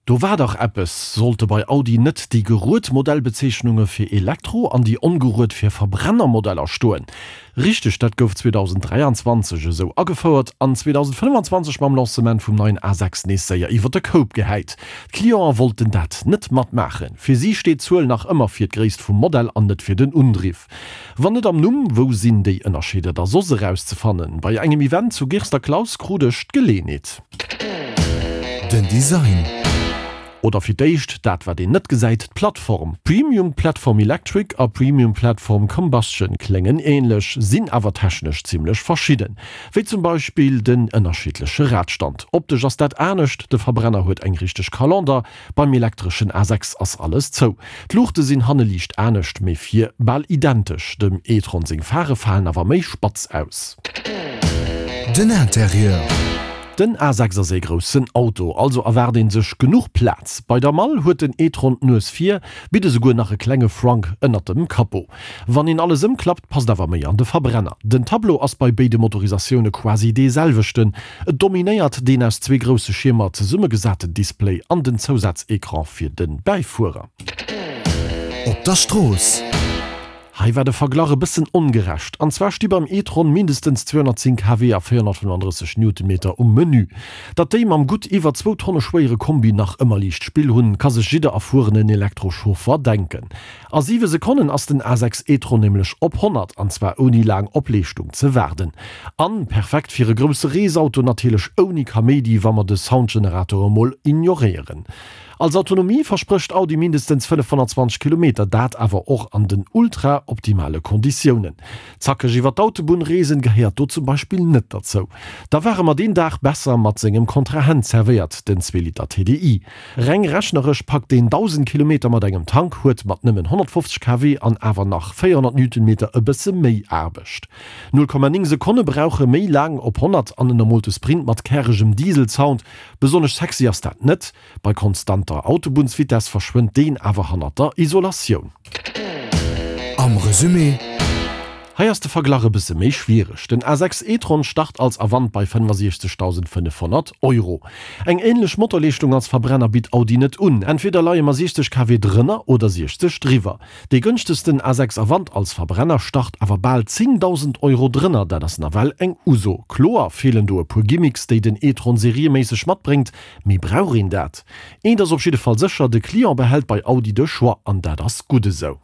Do war dach eppes, Sollte bei Audi net déi gerued Modellbezeechnunge fir Elektro an déi ongerued fir Verbrennermodeller stoen? Richteg, dat gouf 2023 esou agefouert an 2025 mam Lancement vum neien A6 nees séier iwwer de Koup gehäit. D'Clienten wollten dat net matmaachen. Fir si steet d'Zuel nach ëmmer fir d'Gréisst vum Modell an net fir den Undriff. Wann net am Numm, wou sinn déi Ënnerscheeder da soss erauszefannen? Bei engem Event zu Girster Klaus krut ech d'Geleenheet. Den Design. Oder fir d'éischt dat wat een net gesäit, d'Plattform. Premium Platform Electric a Premium Platform Combustion kléngen änlech, sinn awer technesch zimmlech verschidden. Wéi zum Beispill den ënnerschiddleche Radstand. Optesch ass dat anescht, de Verbrenner huet eng richteg Kalender, Beim elektreschen A6 ass alles zou. D'Luuchte sinn hanne liicht anescht, mee vir bal identesch. Dem e-tron seng Phare falen awer méi spatz aus. Den Interieur. Den A6 ass ee groussen Auto, also erwaart een sech genuch Plaz. Bei der Mall huet den e-tron d'Nues vir, bitt esouguer nach e klenge Frunk ënnert dem Capot. Wann een alles ëmklappt, passt awer méi an de Verbrenner. Den Tableau ass bei béide Motorisatioune quasi dee selwechten, Et dominéiert deen aus zwee grousse Schiermer zesummegesaten Display an den Zousaz-Ecran fir de Bäifuerer. Op der Strooss. Hei war de Verglach e bëssen ongerecht. An zwar sti beim e-tron mindestens 210 kW a 435 Newtonmeter um Menü. Datt déi mam gutt iwwer zwou Tonne schwéiere Kombi nach ëmmer liicht Spill hunn, ka sech jidder erfuerenen Elektrochauffer denken. A 7 Sekonnen ass den A6 e-tron nämlech op 100, an zwar ouni laang op Leeschtung ze waarden. An perfekt fir e grousse Reesauto, natierlech ouni Kaméidi, wa mer de Soundgenerator emol ignoréieren. Als Autonomie versprécht Audi mindestens 520 Kilometer, dat awer och an den ultra optimale Konditiounen. Zackeg iwwer d'Autobunn reesen gehéiert do zum Beispill net derzou. Da war e mer deen Dag besser mat sengem Kontrahent zerwéiert, den zwee Liter TDI. Reng rechneresch packt deen 1.000 Kilometer mat engem Tank, huet mat nëmmen 150 kW an awer nach 400 Newtonmeter e bësse méi Aarbecht. 0,9 Sekonne brauche méi laang op 100 an ënnermoolte Sprint mat käregem Diesel-Sound. Besonnesch sexy ass dat net. Bei konstanter Autobunnsvitess verschwënnt deen awer hannert der Isolatioun. Am Resumé. Hei ass de Verglach e bësse méi schwiereg. Den A6 e-tron start als Avant bei 65.500 Euro. Eng änlech Motorleeschtung als Verbrenner bitt Audi net un. Entweder leie mer 60 kW drënner oder 60 driwwer. Dee gënschtegsten A6 Avant als Verbrenner start awer bal 10.000 Euro drënner. Dat ass nawell eng Uso. Kloer feelen do e puer Gimmicks, déi den e-tron serieméisseg matbréngt, mee brauch een dat? Eent ass op jidde Fall sécher, de Client behält bei Audi de Choix an dat ass gutt esou.